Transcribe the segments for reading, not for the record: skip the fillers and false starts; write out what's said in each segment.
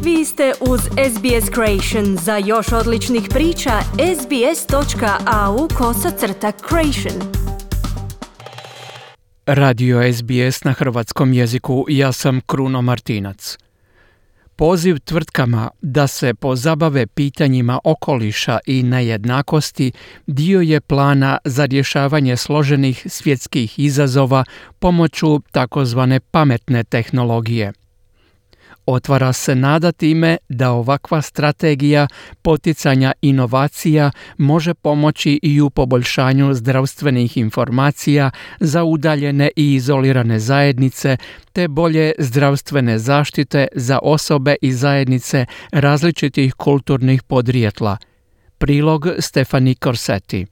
Vi ste uz SBS Creation. Za još odličnih priča, sbs.au/creation. Radio SBS na hrvatskom jeziku. Ja sam Kruno Martinac. Poziv tvrtkama da se pozabave pitanjima okoliša i nejednakosti dio je plana za rješavanje složenih svjetskih izazova pomoću takozvane pametne tehnologije. Otvara se nada time da ovakva strategija poticanja inovacija može pomoći i u poboljšanju zdravstvenih informacija za udaljene i izolirane zajednice, te bolje zdravstvene zaštite za osobe i zajednice različitih kulturnih podrijetla. Prilog Stefani Corsetti.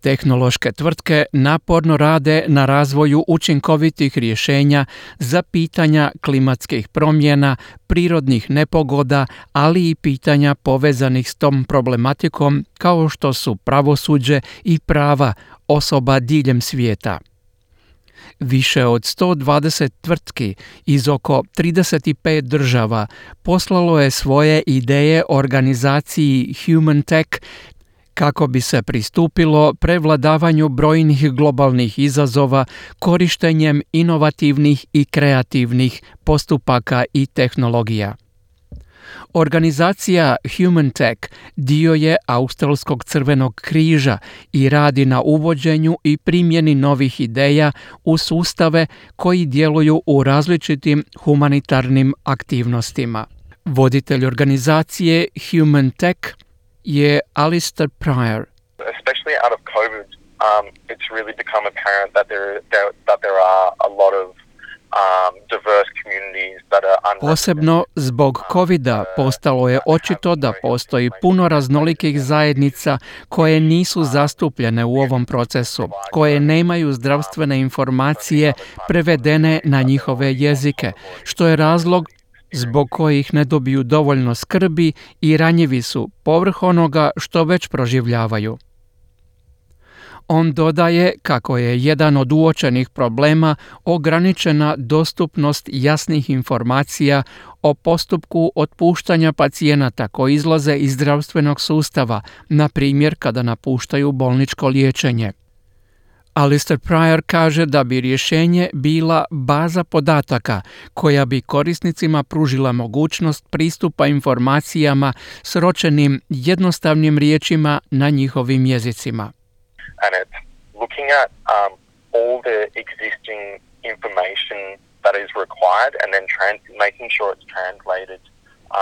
Tehnološke tvrtke naporno rade na razvoju učinkovitih rješenja za pitanja klimatskih promjena, prirodnih nepogoda, ali i pitanja povezanih s tom problematikom kao što su pravosuđe i prava osoba diljem svijeta. Više od 120 tvrtki iz oko 35 država poslalo je svoje ideje organizaciji Human Tech kako bi se pristupilo prevladavanju brojnih globalnih izazova korištenjem inovativnih i kreativnih postupaka i tehnologija. Organizacija Human Tech dio je Australskog crvenog križa i radi na uvođenju i primjeni novih ideja u sustave koji djeluju u različitim humanitarnim aktivnostima. Voditelj organizacije Human Tech je Alistair Pryor. Especially out of COVID, it's really become apparent that there are a lot of diverse communities that are Posebno zbog COVID-a postalo je očito da postoji puno raznolikih zajednica koje nisu zastupljene u ovom procesu, koje nemaju zdravstvene informacije prevedene na njihove jezike, što je razlog zbog kojih ne dobiju dovoljno skrbi i ranjivi su povrh onoga što već proživljavaju. On dodaje kako je jedan od uočenih problema ograničena dostupnost jasnih informacija o postupku otpuštanja pacijenata koji izlaze iz zdravstvenog sustava, na primjer kada napuštaju bolničko liječenje. Alistair Pryor kaže da bi rješenje bila baza podataka koja bi korisnicima pružila mogućnost pristupa informacijama sročenim jednostavnim riječima na njihovim jezicima. And it's looking at all the existing information that is required and then making sure it's translated.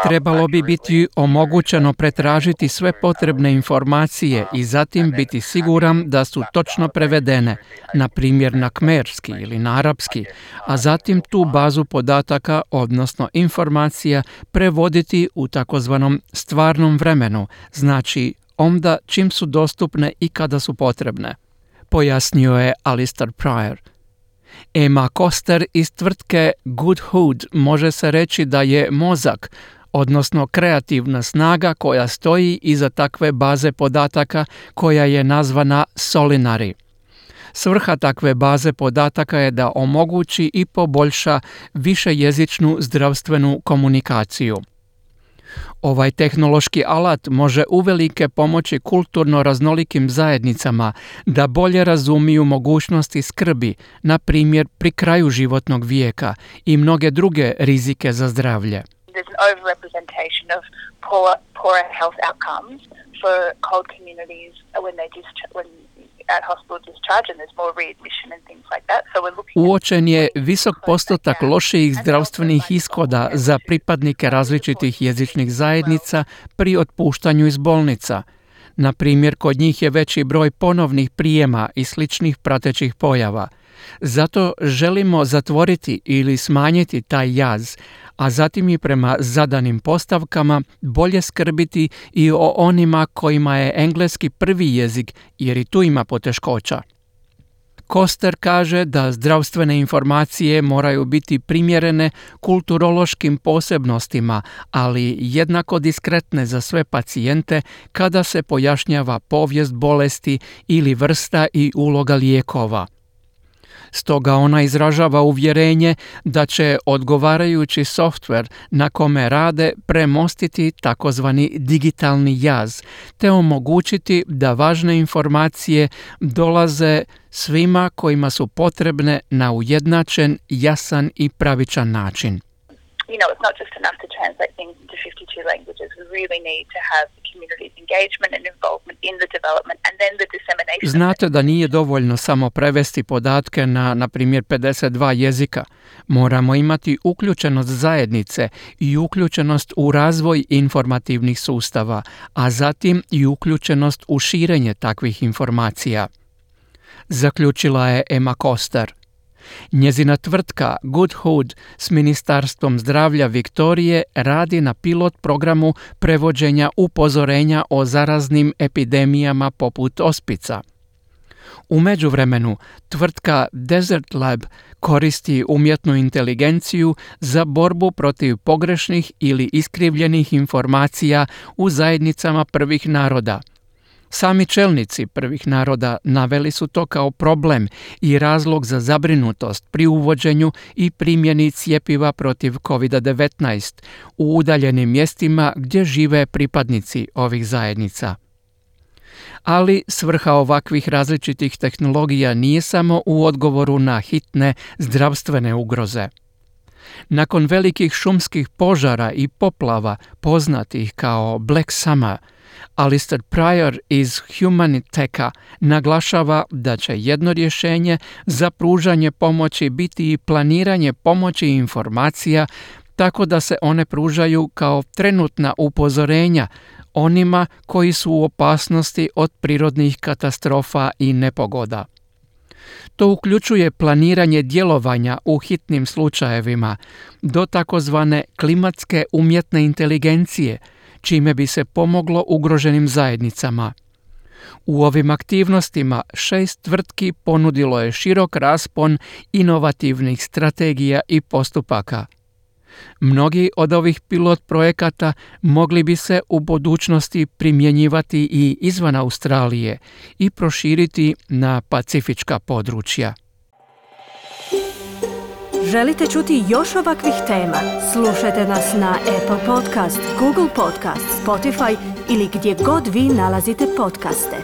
Trebalo bi biti omogućeno pretražiti sve potrebne informacije i zatim biti siguran da su točno prevedene, na primjer na kmerski ili na arapski, a zatim tu bazu podataka, odnosno informacija, prevoditi u takozvanom stvarnom vremenu, znači onda čim su dostupne i kada su potrebne, pojasnio je Alistair Pryor. Emma Koster iz tvrtke Goodhood može se reći da je mozak, odnosno kreativna snaga koja stoji iza takve baze podataka koja je nazvana Solinari. Svrha takve baze podataka je da omogući i poboljša višejezičnu zdravstvenu komunikaciju. Ovaj tehnološki alat može uvelike pomoći kulturno raznolikim zajednicama da bolje razumiju mogućnosti skrbi, na primjer pri kraju životnog vijeka i mnoge druge rizike za zdravlje. There's an overrepresentation of poorer health outcomes for cold communities when at hospital discharge and there's more readmission and things like that. So we're looking Uočen je visok postotak lošijih zdravstvenih ishoda za pripadnike različitih jezičnih zajednica pri otpuštanju iz bolnica. Na primjer, kod njih je veći broj ponovnih prijema i sličnih pratećih pojava. Zato želimo zatvoriti ili smanjiti taj jaz, a zatim i prema zadanim postavkama bolje skrbiti i o onima kojima je engleski prvi jezik, jer i tu ima poteškoća. Koster kaže da zdravstvene informacije moraju biti primjerene kulturološkim posebnostima, ali jednako diskretne za sve pacijente kada se pojašnjava povijest bolesti ili vrsta i uloga lijekova. Stoga ona izražava uvjerenje da će odgovarajući softver na kome rade premostiti takozvani digitalni jaz, te omogućiti da važne informacije dolaze svima kojima su potrebne na ujednačen, jasan i pravičan način. You know, it's not just enough to translate things into 52 languages. We really need to have the community's engagement and involvement in the development and then the dissemination. Znate da nije dovoljno samo prevesti podatke na primjer 52 jezika. Moramo imati uključenost zajednice i uključenost u razvoj informativnih sustava, a zatim i uključenost u širenje takvih informacija. Zaključila je Emma Koster. Njezina tvrtka Good Hood s Ministarstvom zdravlja Viktorije radi na pilot programu prevođenja upozorenja o zaraznim epidemijama poput ospica. U međuvremenu, tvrtka Desert Lab koristi umjetnu inteligenciju za borbu protiv pogrešnih ili iskrivljenih informacija u zajednicama prvih naroda. Sami čelnici prvih naroda naveli su to kao problem i razlog za zabrinutost pri uvođenju i primjeni cjepiva protiv COVID-19 u udaljenim mjestima gdje žive pripadnici ovih zajednica. Ali svrha ovakvih različitih tehnologija nije samo u odgovoru na hitne zdravstvene ugroze. Nakon velikih šumskih požara i poplava poznatih kao Black Summer, Alistair Pryor iz Humaniteka naglašava da će jedno rješenje za pružanje pomoći biti i planiranje pomoći informacija tako da se one pružaju kao trenutna upozorenja onima koji su u opasnosti od prirodnih katastrofa i nepogoda. To uključuje planiranje djelovanja u hitnim slučajevima do takozvane klimatske umjetne inteligencije, čime bi se pomoglo ugroženim zajednicama. U ovim aktivnostima 6 tvrtki ponudilo je širok raspon inovativnih strategija i postupaka. Mnogi od ovih pilot projekata mogli bi se u budućnosti primjenjivati i izvan Australije i proširiti na pacifička područja. Želite čuti još ovakvih tema? Slušajte nas na Apple Podcast, Google Podcast, Spotify ili gdje god vi nalazite podcaste.